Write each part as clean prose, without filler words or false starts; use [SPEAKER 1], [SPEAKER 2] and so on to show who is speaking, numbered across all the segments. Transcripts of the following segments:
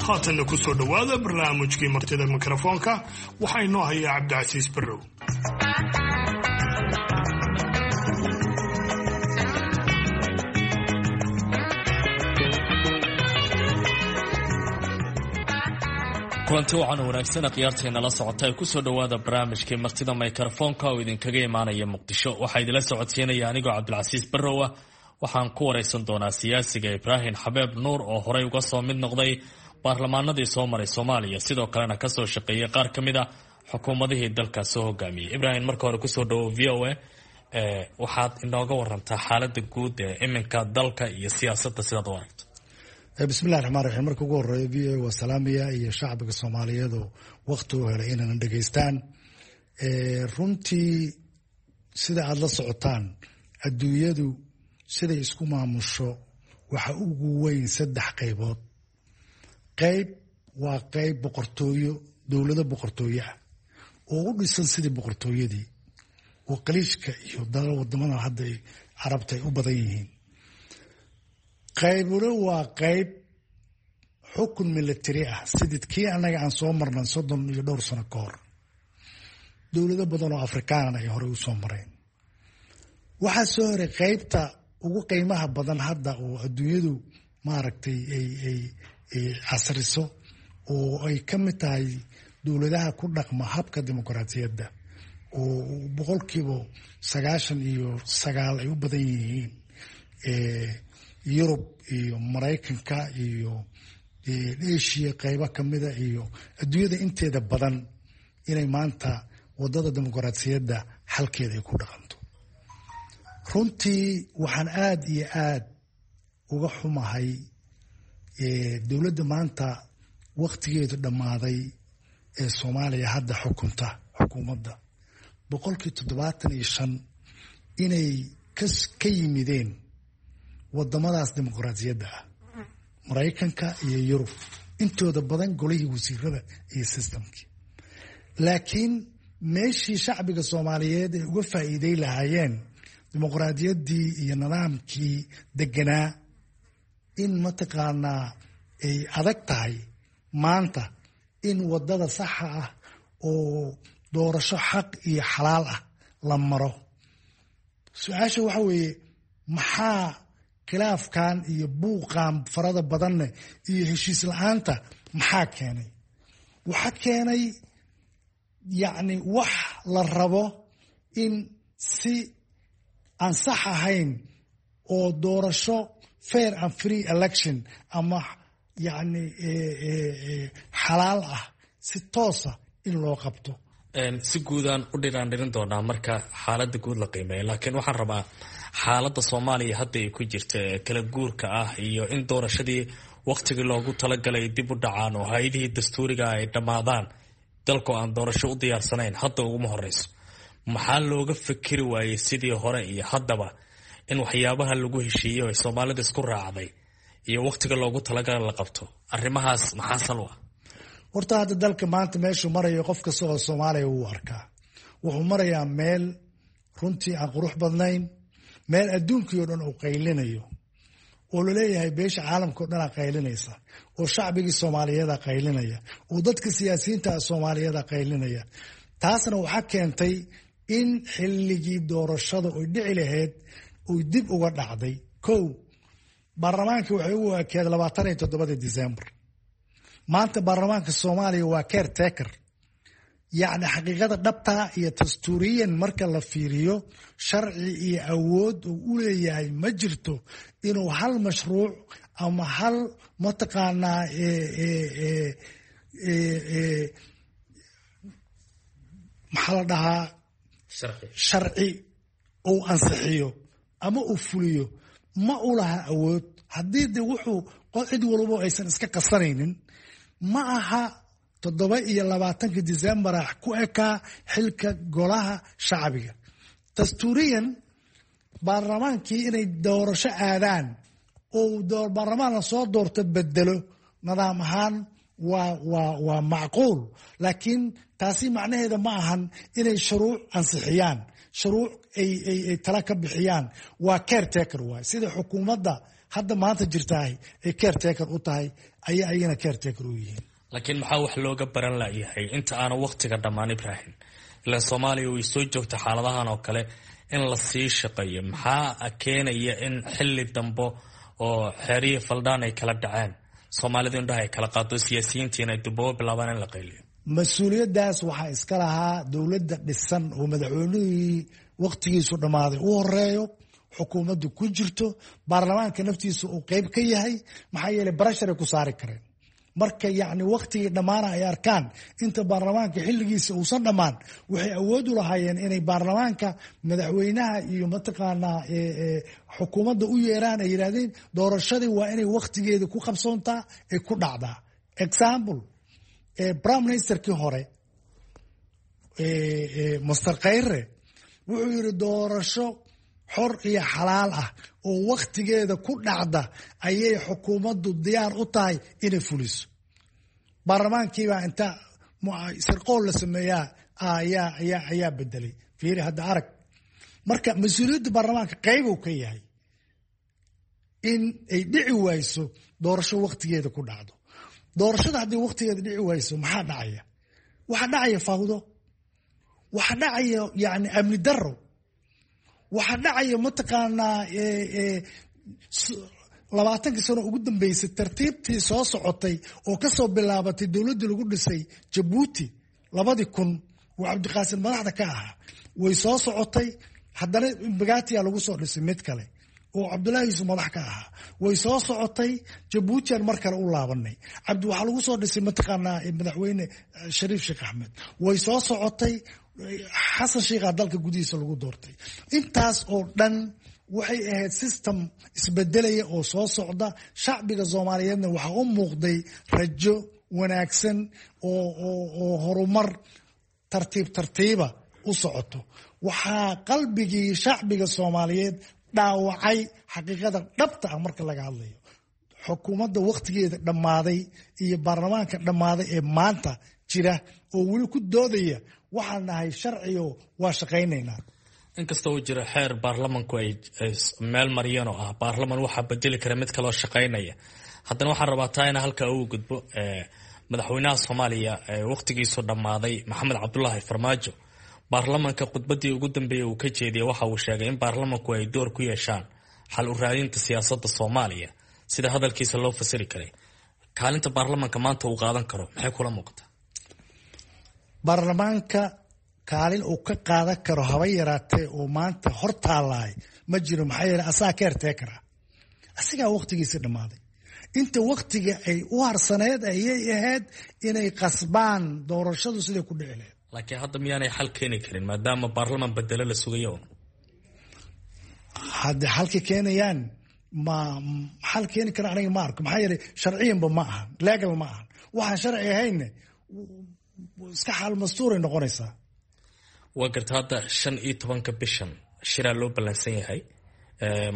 [SPEAKER 1] Haatanna ku soo dhowaada barnaamijkii martida mikrofoonka. Waxaa inoo hayaa Cabdicasiis Barrow.
[SPEAKER 2] Kulanti waxaana wanaagsan khiyaarteena la socota ee kusoo dhowaada barnaamijkii martida mikrofoonka oo idinkaga imaanaya Muqdisho. Waxaa idinla socodsiinaya anigoo Cabdilcasiis Barrow ah. Waxaan ku wareysan doonaa siyaasiga Ibraahim Xabeeb Nuur oo horey uga soo mid noqday baarlamaanadii soo maray Soomaaliya, sidoo kalena kasoo shaqeeyay qaar ka mid a xukuumadihii dalka soo hogaamiyey. Ibraahim, marka hore kusoo dhawo VOA. Waxaad inooga warantaa xaalada guud ee iminka dalka iyo siyaasadda sidaad u aragto.
[SPEAKER 3] Bismillahi raxmaan raxiim. Marka ugu horeeya, VOA waa salaamaya iyo shacbiga Soomaaliyeed oo wakti u helay inayna dhegeystaan. Runtii, sida aada la socotaan, adduunyadu siday isku maamusho waxa ugu weyn saddex qaybood. Qayb waa qayb boqortooyo, dowlado boqortooyo ah oo u dhisan sidii boqortooyadii oo Qaliijka iyo wadamada hadda Carabta ay u badan yihiin. Qaybuna waa qayb xukun military ah, sidii kii annaga aan soo marnay 30 iyo dhowr sano ka hor, dowlado badan oo Afrikaanan ay horey u soo mareen. Waxaa soo horay qaybta ugu qiimaha badan hadda oo adduunyadu maaragtay ay casriso oo ay ka mid tahay dowladaha ku dhaqma habka dimuqraadiyadda oo 99% ay u badan yihiin Yurub iyo Maraykanka iyo Asia qaybo kamida iyo adduunyada inteeda badan, inay maanta wadada dimuqraadiyadda xalkeeda ay ku dhaqanto. Runtii waxaan aada iyo aada uga xumahay dowladda maanta waktigeedu dhammaaday ee Soomaaliya hadda xukunta, xukuumadda 75% inay ka yimideen wadamadaas dimuqraadiyadda ah, Maraykanka iyo Yurub, intooda badan golihii wasiirada iyo systemkii. Laakiin meeshii shacbiga Soomaaliyeed ay uga faa'iiday lahaayeen dimuqraadiyaddii iyo nidaamkii deganaa, in mataqaanaa ay adag tahay maanta in wadada saxa ah oo doorasho xaq iyo xalaal ah la maro. Su-aasha waxa weeye, maxaa khilaafkan iyo buuqan farada badanne iyo heshiis la-aanta maxaa keenay? Waxa keenay, yacni, wax la rabo in si aan sax ahayn oo doorasho fair and free election ama yacni xalaal ah si toosa in loo qabto.
[SPEAKER 2] Si guudaan u dhiraan dhirin doonaa marka xaaladda guud la qiimeeyo, laakiin waxaan rabaa xaaladda Soomaaliya hadda ay ku jirta ee kala guurka ah iyo in doorashadii waktigii loogu talagalay dib u dhacaan oo hay-adihii dastuuriga ay dhammaadaan, dalku aan doorasho u diyaarsanayn hadda uguma horeyso. Maxaa looga fikiri waayey sidii hore iyo haddaba in waxyaabaha lagu heshiiyey oo Soomaalida isku raacday iyo waktiga loogu talagalay la qabto? Arrimahaas maxaa sal u ah?
[SPEAKER 3] Horta hadda dalka maanta meeshuu marayo qof kasta oo Soomaaliya wuu arkaa. Wuxuu marayaa meel runtii aan qurux badnayn, meel adduunkii o dhan uu qaylinayo oo laleeyahay beesha caalamka o dhanaa qaylinaysa, oo shacbigii Soomaaliyeeda qaylinaya, oo dadka siyaasiyiinta Soomaaliyeeda qaylinaya. Taasna waxaa keentay in xilligii doorashada oy dhici lahayd oy dib uga dhacday. Kow, baarlamaankii waxay ugu ekeed 27-dii December. Maanta baarlamaanka Soomaaliya waa caretaker. Yacni, xaqiiqada dhabtaa iyo dastuuriyan marka la fiiriyo, sharci iyo awood uu u leeyahay ma jirto inuu hal mashruuc ama hal mataqaanaa maxaa la dhahaa, sharci uu ansixiyo ama uu fuliyo ma u laha awood. Haddii de wuxuu cid walbo aysan iska qasanaynin, ma aha 27-ka Decembera ku ekaa xilka golaha shacbiga. Dastuuriyan baarlamaankii inay doorasho aadaan oo baarlamaan la soo doorto bedelo nidaam ahaan waa macquul, laakiin taasi macnaheeda ma ahan inay shuruuc ansixiyaan, shuruuc ay tala ka bixiyaan. Waa caretaker waay, sida xukuumadda hadda maanta jirtahay ay caretaker u tahay ayay ayagana caretaker u yihiin.
[SPEAKER 2] Laakiin maxaa wax looga baran layahay inta aanu waqtiga dhammaan, Ibrahim? Ilaan Soomaaliya way soo joogta xaaladahan oo kale in la sii shaqeeyo. Maxaa keenaya in xilli dambe oo xeerihii faldhaan ay kala dhaceen, Soomaalidu indhaha ay kala qaado, siyaasiyiintiina ay dubabo bilaabaan in la qayliyo?
[SPEAKER 3] Mas-uuliyaddaas waxaa iska lahaa dowladda dhisan oo madaxweynihii waqtigiisu dhammaaday u horeeyo, xukuumaddu ku jirto, baarlamaanka naftiisa uu qeyb ka yahay. Maxaa yeelay barasharay ku saari kareen marka yacni waqtigii dhammaana ay arkaan inta baarlamaanka xilligiisa uusan dhammaan, waxay awood u lahaayeen inay baarlamaanka, madaxweynaha iyo mataqaanaa xukuumadda u yeeraan, ay yidhahdeen doorashadii waa inay waqtigeeda ku qabsoontaa, ay ku dhacdaa. Example, prime ministerkii hore Master Khayre wuxuu yidhi doorasho xor iyo xalaal ah oo waktigeeda ku dhacda ayay xukuumaddu diyaar u tahay inay fuliso. Baarlamaankiibaa inta sirqool la sameeyaa ayaa bedelay. Fiiri hadda arag, marka mas-uuliyadda baarlamaanka qeyb uu ka yahay in ay dhici wayso doorasho waktigeeda ku dhacdo. Doorashada haddii waktigeeda dhici wayso, maxaa dhacaya? Waxaa dhacaya fawdo, waxaa dhacaya yani amni daro, waxaa dhacaya mataqaanaa 20kii sano ugu dambeysay tartiibtii soo socotay oo kasoo bilaabatay dowladdii lagu dhisay Jabuuti 2000 oo Cabdiqaasim madaxda ka ahaa, way soo socotay. Haddana Mbagathi lagu soo dhisay mid kale oo Cabdullahi Yuusuf madax ka ahaa, way soo socotay. Jabuutian mar kale u laabanay, cabdi waxaa lagu soo dhisay mataqaanaa madaxweyne Shariif Sheekh Axmed, way soo socotay. Xasan Sheikhaa dalka gudihiisa lagu doortay. Intaas oo dhan waxay ahayd system isbedelaya oo soo socda. Shacbiga Soomaaliyeedna waxaa u muuqday rajo wanaagsan oo horumar tartiib tartiiba u socoto. Waxaa qalbigii shacbiga Soomaaliyeed dhaawacay, xaqiiqada dhabta ah marka laga hadlayo, xukuumadda wakhtigeeda dhammaaday iyo baarlamaanka dhammaaday ee maanta jira oo weli ku doodaya waxaan nahay sharciyo, waa shaqaynaynaa.
[SPEAKER 2] Inkasta uu jiro xeer baarlamanku ay meel mariyeen oo ah baarlaman waxaa bedeli kara mid kaloo shaqaynaya, haddana waxaan rabaa taa ina halkaa ugu gudbo. Madaxweynaha Soomaaliya wakhtigiisu dhammaaday, Maxamed Cabdulaahi Farmaajo, baarlamanka khudbadii ugu dambeeyey uu ka jeediyey waxa uu sheegay in baarlamanku ay door ku yeeshaan xal u raadinta siyaasadda Soomaaliya, sida hadalkiisa loo fasiri karay. Kaalinta baarlamanka maanta uu qaadan karo maxay kula muuqataa?
[SPEAKER 3] Baarlamaanka kaalin uu ka qaadan karo haba yaraatee oo maanta hor taalaay ma jiro. Maxaa yeele asagaa caretaker, asigaa waqtigiisi dhammaaday. Inta waqtiga ay u harsaneed ayay ahayd inay qasbaan doorashadu siday ku dhici lahayd.
[SPEAKER 2] Laakiin hadda miyaanay xal keeni karin maadaama baarlaman bedelo la sugayo?
[SPEAKER 3] Hadda xalka keenayaan ma xal keeni kara aniga ma arko. Maxaa yeelay sharciyanba ma ahan, legal ma ahan. Waxaan sharci ahayne iska xaal mastuuray noqonaysaa.
[SPEAKER 2] Waa garta. Hadda 15-ka bishan shiraa loo ballansan yahay,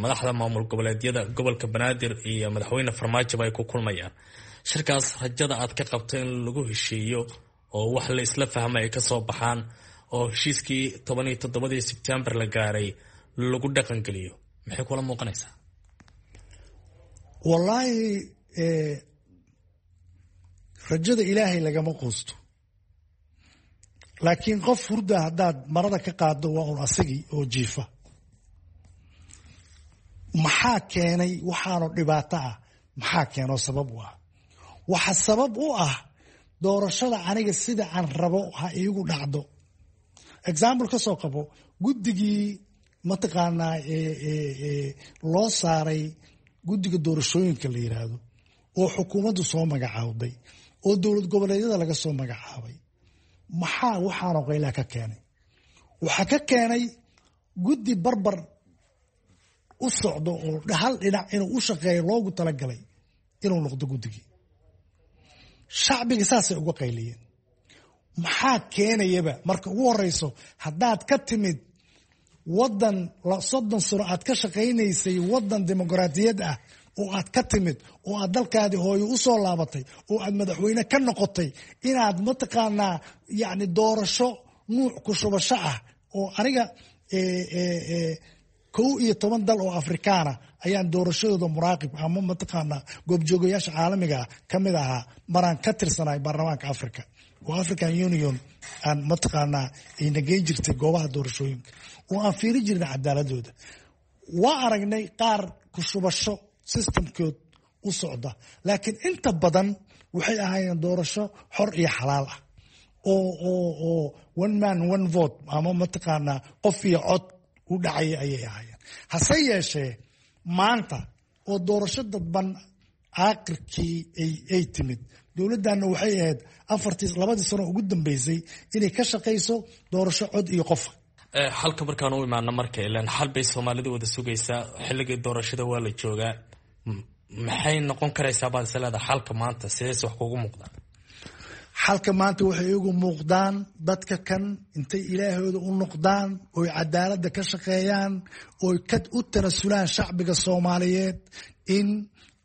[SPEAKER 2] madaxda maamul goboleedyada, gobolka Banaadir iyo madaxweyne Farmaajoba ay ku kulmayaan shirkaas. Rajada aad ka qabto in lagu heshiiyo oo wax la isla fahmay ay kasoo baxaan oo heshiiskii 17-dii Sebtembar la gaaray lagu dhaqangeliyo, maxay kula muuqanaysaa?
[SPEAKER 3] Wallaahi, rajada Ilaahay lagama quusto, laakiin qof hurda haddaad marada ka qaado waa un asigii oo jiifa. Maxaa keenay waxaanu dhibaato ah? Maxaa keenoo sabab u ah? Waxa sabab u ah doorashada aniga sida aan rabo ha iigu dhacdo. Example ka soo qabo guddigii mataqaanaa loo saaray guddiga doorashooyinka la yiraahdo oo xukuumaddu soo magacaawday oo dowlad goboleedyada laga soo magacaabay. Maxaa waxaanoo qaylaa ka keenay? Waxaa ka keenay guddi barbar u socdo oo hal dhinac inuu u shaqeeyo loogu talagalay inuu noqdo guddigii. Shacbiga saasay uga qayliyeen. Maxaa keenayaba? Marka ugu horeyso, haddaad ka timid wadan 30 sano aad ka shaqaynaysay, wadan dimuqraadiyad ah oo aad ka timid oo aad dalkaadii hooyo u soo laabatay oo aad madaxweyne ka noqotay, inaad mataqaanaa yacni doorasho nuuc ku shubasho ah oo aniga 11 dal oo Afrikaana Ayaan doorashadooda muraaqib ama mataqaanaa goobjoogayaasha caalamiga ah ka mid ahaa maraan ka tirsanahay baarlamaanka Africa oo African Union aan mataqaanaa ayna geyn jirtay goobaha doorashooyinka oo aan fiiri jirnay cadaaladooda. Waa aragnay qaar kushubasho systemkood u socda, laakiin inta badan waxay ahaayeen doorasho xor iyo xalaal ah oo one man one vote ama mataqaanaa qof iyo cod u dhacaya ayay ahaayeen. Hase yeeshee maanta oo doorasho dadban aakhirkii ay timid, dowladdanna waxay ahayd afartii 2dii sano ugu dambeysay inay ka shaqayso doorasho cod iyo qofa.
[SPEAKER 2] Xalka markaan u imaano marka, ilaan xal bay soomaalidu wada sugaysaa, xilligii doorashada waa la joogaa, maxay noqon karaysaa baad is leedahay xalka maanta? Sidees wax kugu muuqdaan?
[SPEAKER 3] Xalka maanta waxay igu muuqdaan dadka kan intay ilaahooda u noqdaan oy cadaaladda ka shaqeeyaan oy ka u tanasulaan shacbiga Soomaaliyeed in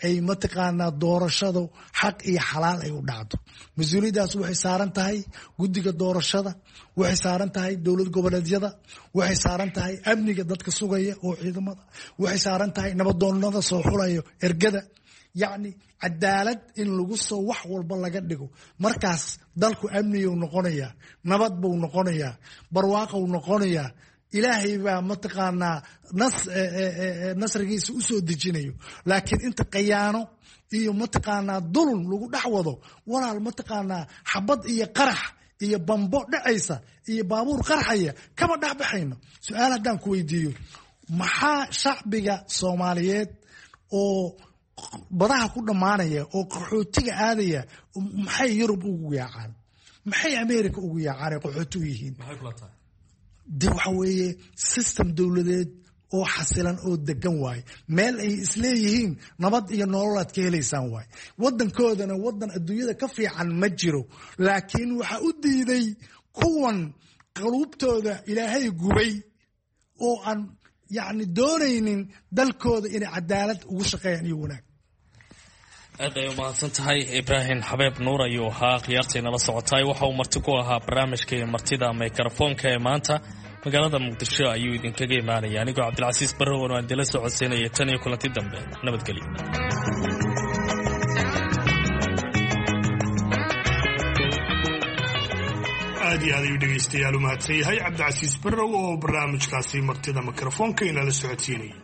[SPEAKER 3] ay mataqaanaa doorashadu xaq iyo xalaal ay u dhacdo. Mas-uuliyaddaas waxay saaran tahay guddiga doorashada, waxay saaran tahay dowlad goboleedyada, waxay saaran tahay amniga dadka sugaya oo ciidamada, waxay saaran tahay nabadoonnada soo xulayo ergada. Yacni cadaalad in lagu soo wax walba laga dhigo, markaas dalku amniyuu noqonayaa, nabad buu noqonayaa, barwaaqou noqonayaa. Ilaahay baa mataqaanaa nasrigiisa u soo dejinayo. Laakiin inta khayaano iyo mataqaanaa dulun lagu dhex wado, walaal, mataqaanaa xabad iyo qarax iyo bambo dhacaysa iyo baabuur qarxaya kama dhex baxayno. Su-aal haddaan ku weydiiyo, maxaa shacbiga Soomaaliyeed oo badaha ku dhammaanaya oo qaxootiga aadaya, maxay Yurub ugu yaacaan, maxay America ugu yaacaan ay qaxooti u yihiin? De waxa weeye system dowladeed oo xasilan oo degan waaye, meel ay isleeyihiin nabad iyo nolol aad ka helaysaan waaye. Wadankoodana wadan adduunyada ka fiican ma jiro, laakiin waxaa u diiday kuwan qaluubtooda Ilaahay gubay oo aan yacni doonaynin dalkooda inay cadaalad ugu shaqeeyaan iyo wanaag.
[SPEAKER 2] Aad ay umahadsan tahay. Ibraahim Xabeeb Nuur ayuu ahaa. Khiyaartay nala socotaay, waxa uu marti ku ahaa barnaamijkii martida mikrofoonka ee maanta. Magaalada Muqdisho ayuu idinkaga imaanaya. Anigoo Cabdilcasiis Barrowan aan idinla socodsiinaya, tan iyo kulanti dambe, nabadgelyo.
[SPEAKER 1] Aad iyo aad ayuu dhegaystayaal u mahadsan yahay Cabdicasiis Barrow oo barnaamijkaasi martida mikrofoonka inala socodsiinayay.